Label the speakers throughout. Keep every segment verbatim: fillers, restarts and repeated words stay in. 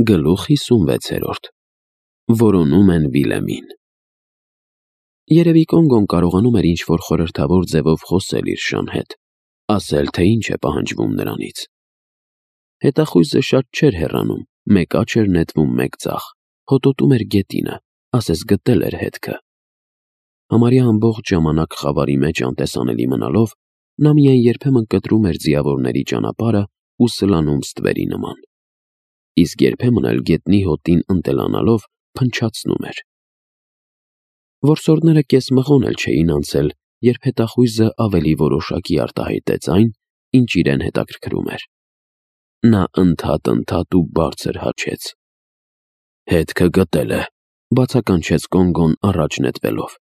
Speaker 1: Գլուխ հիսունվեցերորդ Որոնում են Վիլեմին։ Երևի Կոնգոն կարողանում էր ինչ-որ խորհրդավոր ձևով խոսել իր շան հետ, ասել, թե ինչ է պահանջվում նրանից։ Հետախույզը շատ չէր հեռանում, մեկ աջ էր նետվում, մեկ ձախ, հոտոտում էր գետինը, ասես գտել էր հետքը։ Համարյա ամբողջ ժամանակ խավարի մեջ անտեսանելի մնալով, նա միայն երբեմն կտրում էր ձիավորների ճանապարհը ու սլանում ստվերի նման։ Իսկ երբեմն էլ գետնի հոտին ընտելանալով փնչացնում էր։ Որսորդները կեսմղոն էլ չէին անցել, երբ հետախույզը ավելի որոշակի արտահայտեց այն, ինչ իրեն հետաքրքրում էր։ Նա ընդհատ-ընդհատ ու բարձր հաչեց։ «Հետքը գտել է», բացականչեց Կոնգոն առաջ նետվելով։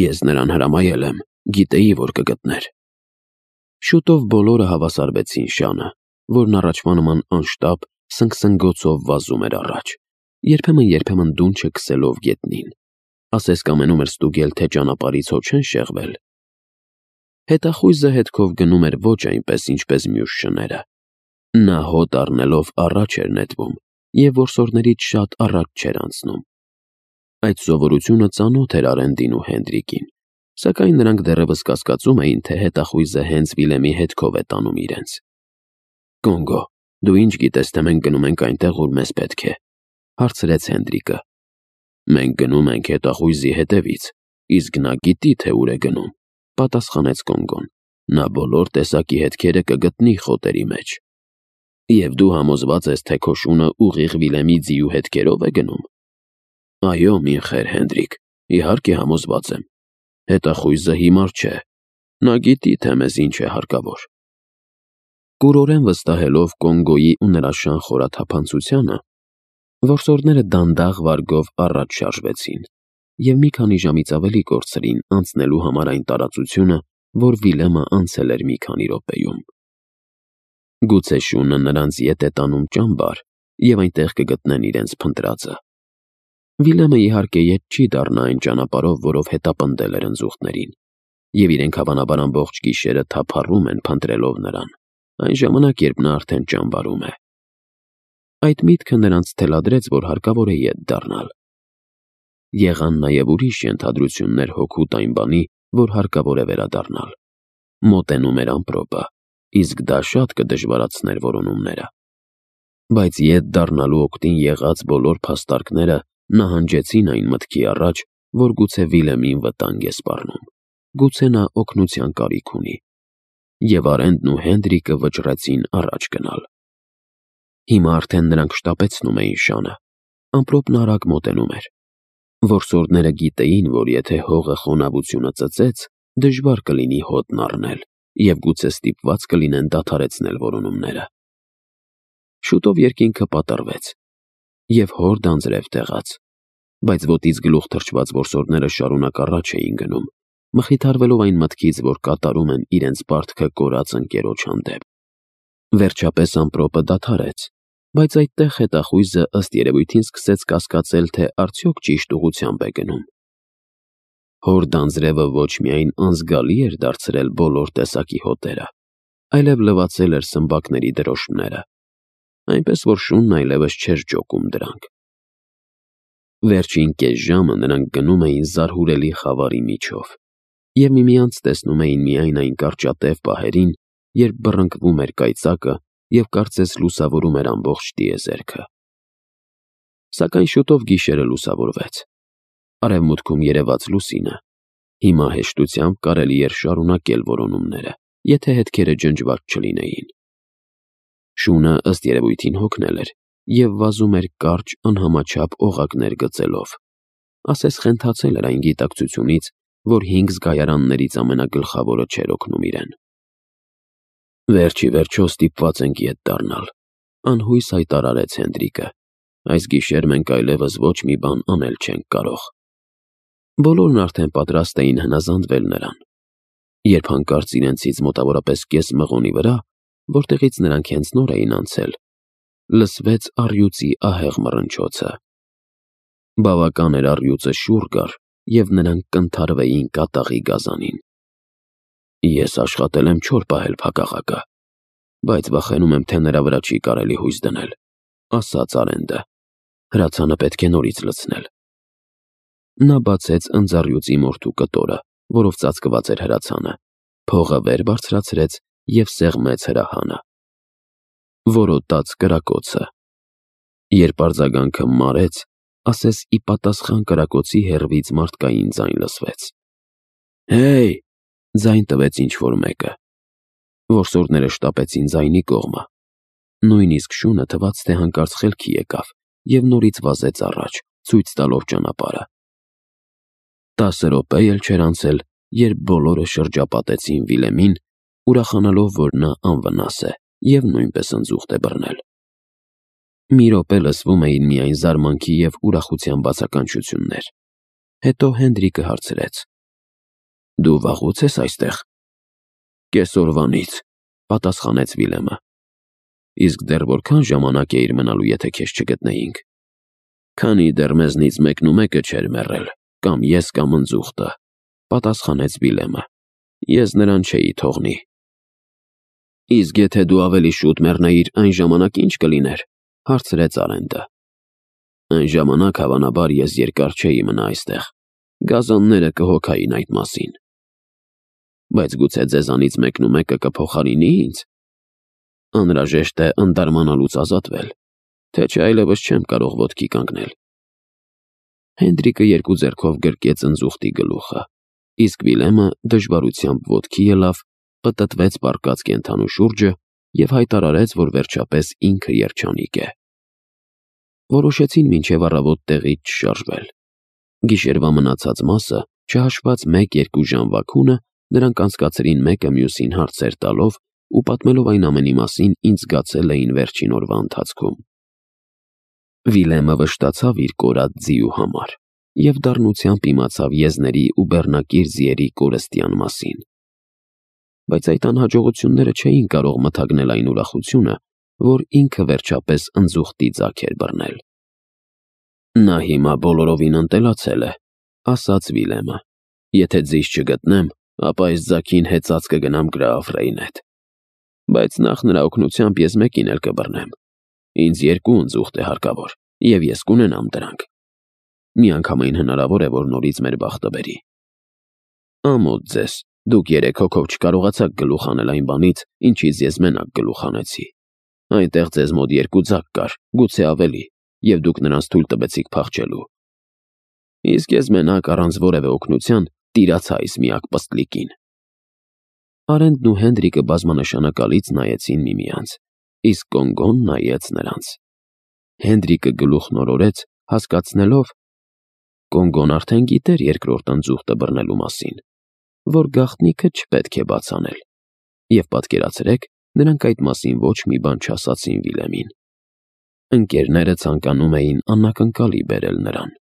Speaker 1: «Ես նրան հրամայել եմ, գիտեի, որ կգտներ»։ Շուտով բոլորը հավասարվեցին շանը, որն առաջվա նման անշտապ սնգսնգոցով վազում էր առաջ, երբեմն-երբեմն դունչը քսելով գետնին, ասես կամենում էր ստուգել, թե ճանապարհից հո չեն շեղվել։ Հետախույզը հետքով գնում էր ոչ այնպես, ինչպես մյուս շները։ Նա հոտ առնելով առաջ էր նետվում և որսորդներից շատ առաջ չէր անցնում։ Այդ սովորությունը ծանոթ էր Արենդին ու Հենդրիկին, սակայն նրանք դեռևս կասկածում էին, թե հետախույզը հենց Վիլեմի հետքով է տանում իրենց։ «Կոնգո, դու ինչ գիտես, թե մենք գնում ենք այնտեղ, ուր մեզ պետք է», հարցրեց Հենդրիկը։ «Մենք գնում ենք հետախույզի հետևից, իսկ նա գիտի, թե ուր է գնում», պատասխանեց Կոնգոն։ «Նա բոլոր տեսակի հետքերը կգտնի խոտերի մեջ»։ «Եվ դու համոզված ես, թե քո շունը ուղիղ Վիլեմի ձիու հետքերով է գնում»։ «Այո, մինխեր Հենդրիկ, իհարկե համոզված եմ։ Հետախույզը հիմար չէ, նա գիտի, թե մեզ ինչ է հարկավոր»։ Կուրորեն վստահելով Կոնգոյի ու նրա շան խորաթափանցությանը, որսորդները դանդաղ վարգով առաջ շարժվեցին և մի քանի ժամից ավելի կորցրին անցնելու համար այն տարածությունը, որ Վիլեմը անցել էր մի քանի րոպեում։ Գուցե շունը նրանց ետ է տանում ճամբար, և այնտեղ կգտնեն իրենց փնտրածը։ Վիլեմը իհարկե ետ չի դառնա այն ճանապարհով, որով հետապնդել էր ընձուղտներին, և իրենք հավանաբար ամբողջ գիշերը թափառում են փնտրելով նրան, այն ժամանակ, երբ նա արդեն ճամբարում է։ Այդ միտքը նրանց թելադրեց, որ հարկավոր է ետ դառնալ։ Եղան նաև ուրիշ ենթադրություններ հօգուտ այն բանի, որ հարկավոր է վերադառնալ։ Մոտենում էր ամպրոպը, իսկ դա շատ կդժվարացներ որոնումները։ Բայց ետ դառնալու օգտին եղած բոլոր փաստարկները նահանջեցին այն մտքի առաջ, որ գուցե Վիլեմին վտանգ է սպառնում, գուցե նա օգնության կարիք ունի, և Արենդն ու Հենդրիկը վճռեցին առաջ գնալ։ Հիմա արդեն նրանք շտապեցնում էին շանը, ամպրոպն արագ մոտենում էր։ Որսորդները գիտեին, որ եթե հողը խոնավությունը ծծեց, դժվար կլինի հոտն առնել, և գուցե ստիպված կլինեն դադարեցնել որոնումները։ Շուտով երկինքը պատռվեց, և հորդ անձրև տեղաց, բայց ոտից գլուխ թրջված որսորդները շարունակ առաջ էին գնում, մխիթարվելով այն մտքից, որ կատարում են իրենց պարտքը կորած ընկերոջ հանդեպ։ Վերջապես ամպրոպը դադարեց, բայց այդտեղ հետախույզը ըստ երևույթին սկսեց կասկածել, թե արդյոք ճիշտ ուղղությամբ է գնում։ Հորդ անձրևը ոչ միայն անզգալի էր դարձրել բոլոր տեսակի հոտերը, այլև լվացել էր սմբակների դրոշմները, այնպես որ շունն այլևս չէր ջոկում դրանք։ Վերջին կես ժամը նրանք գնում էին զարհուրելի խավարի միջով, և միմյանց տեսնում էին միայն այն կարճատև պահերին, երբ բռնկվում էր կայծակը և կարծես լուսավորում էր ամբողջ տիեզերքը։ Սակայն շուտով գիշերը լուսավորվեց։ Արևմուտքում երևաց լուսինը։ Հիմա հեշտությամբ կարելի էր շարունակել որոնումները, եթե հետքերը ջնջված չլինեին։ Շունը ըստ երևույթին հոգնել էր և վազում էր կարճ անհամաչափ օղակներ գծելով, ասես խենթացել էր այն գիտակցությունից, որ հինգ զգայարաններից ամենագլխավորը չէր օգնում իրեն։ «Վերջ ի վերջո ստիպված ենք ետ դառնալ», անհույս հայտարարեց Հենդրիկը։ «Այս գիշեր մենք այլևս ոչ մի բան անել չենք կարող»։ Բոլորն արդեն պատրաստ էին հնազանդվել նրան, երբ հանկարծ իրենցից մոտավորապես կես մղոնի վրա, որտեղից նրանք հենց նոր էին անցել, լսվեց առյուծի ահեղ մռնչոցը։ Բավական էր առյուծը շուռ գար, և նրանք կընդհարվեին կատաղի գազանին։ «Ես աշխատել եմ չոր պահել փակաղակը, բայց վախենում եմ, թե նրա վրա չի կարելի հույս դնել», ասաց Արենդը։ Հրացանը պետք է նորից լցնել։ Նա բացեց ընձառյուծի մորթու կտորը, որով ծածկված էր հրացանը, փողը վեր բարձրացրեց և սեղմեց հրահանը։ Որոտաց կրակոցը։ Երբ արձագանքը մարեց, ասես ի պատասխան կրակոցի հեռվից մարդկային ձայն լսվեց։ «Հեյ», ձայն տվեց ինչ-որ մեկը։ Որսորդները շտապեցին ձայնի կողմը։ Նույնիսկ շունը թվաց, թե հանկարծ խելքի եկավ և նորից վազեց առաջ, ցույց տալով ճանապարհը։ Տասը րոպե էլ չէր անցել, երբ բոլորը շրջապատեցին Վիլեմին, ուրախանալով, որ նա անվնաս է և նույնպես ընձուղտ է բռնել։ Մի րոպե լսվում էին միայն զարմանքի և ուրախության բացականչություններ։ Հետո Հենդրիկը հարցրեց. «Դու վաղո՞ւց ես այստեղ»։ «Կեսօրվանից», պատասխանեց Վիլեմը։ «Իսկ դեռ որքան ժամանակ էիր մնալու, եթե քեզ չգտնեինք»։ «Քանի դեռ մեզնից մեկն ու մեկը չէր մեռել, կամ ես, կամ ընձուղտը», պատասխանեց Վիլեմը։ «Ես նրան չէի թողնի»։ «Իսկ եթե դու ավելի շուտ մեռնեիր, այն ժամանակ ի՞նչ կլիներ», հարցրեց Արենդը։ «Այն ժամանակ, հավանաբար, ես երկար չէի մնա այստեղ, գազանները կհոգային այդ մասին»։ «Բայց գուցե ձեզանից մեկն ու մեկը կփոխարինի ինձ։ Անհրաժեշտ է ընդարմանալուց ազատվել, թե չէ այլևս չեմ կարող ոտքի կանգնել»։ Հենդրիկը երկու ձեռքով գրկեց ընձուղտի գլուխը, իսկ Վիլեմը դժվարությամբ ոտքի ելավ, պտտվեց պառկած կենդանու շուրջը և հայտարարեց, որ վերջապես ինքը երջանիկ է։ Որոշեցին մինչև առավոտ տեղից չշարժվել։ Գիշերվա մնացած մասը, չհաշված մեկ-երկու ժամվա քունը, նրանք անցկացրին մեկը մյուսին հարցեր տալով ու պատմելով այն ամենի մասին, ինչ զգացել էին վերջին օրվա ընթացքում։ Վիլեմը վշտացավ իր կորած ձիու համար և դառնությամբ իմացավ եզների ու բեռնակիր ձիերի կորստյան մասին։ Բայց այդ անհաջողությունները չէին կարող մթագնել այն ուրախությունը, որ ինքը վերջապես ընձուղտի ձագ էր բռնել։ «Նա հիմա բոլորովին ընտելացել է», ասաց Վիլեմը։ «Եթե ձիզ չգտնեմ, ապա այս ձագին հեծած կգնամ Գրաաֆրեին հետ։ Բայց նախ նրա օգնությամբ ես մեկին էլ կբռնեմ։ Ինձ երկու ընձուղտ է հարկավոր, և ես կունենամ դրանք։ Միանգամայն հնարավոր է, որ նորից մեր բախտը բերի»։ «Ամոթ ձեզ, դուք երեք հոգով չկարողացաք գլուխ հանել այն բանից, ինչից ես մենակ գլուխ հանեցի։ Այնտեղ ձեզ մոտ երկու ձագ կար, գուցե ավելի, և դուք նրանց թույլ տվեցիք փախչելու։ Իսկ ես մենակ, առանց որևէ օգնության, տիրացա այս միակ պստլիկին»։ Արենդն ու Հենդրիկը բազմանշանակալից նայեցին միմյանց, իսկ Կոնգոն նայեց նրանց։ Հենդրիկը գլուխն օրորեց, հասկացնելով (Կոնգոն արդեն գիտեր երկրորդ ընձուղտը բռնելու մասին), որ գաղտնիքը չպետք է բաց անել, և պատկերացրեք, նրանք այդ մասին ոչ մի բան չասացին Վիլեմին։ Ընկերները ցանկանում էին անակնկալի բերել նրան։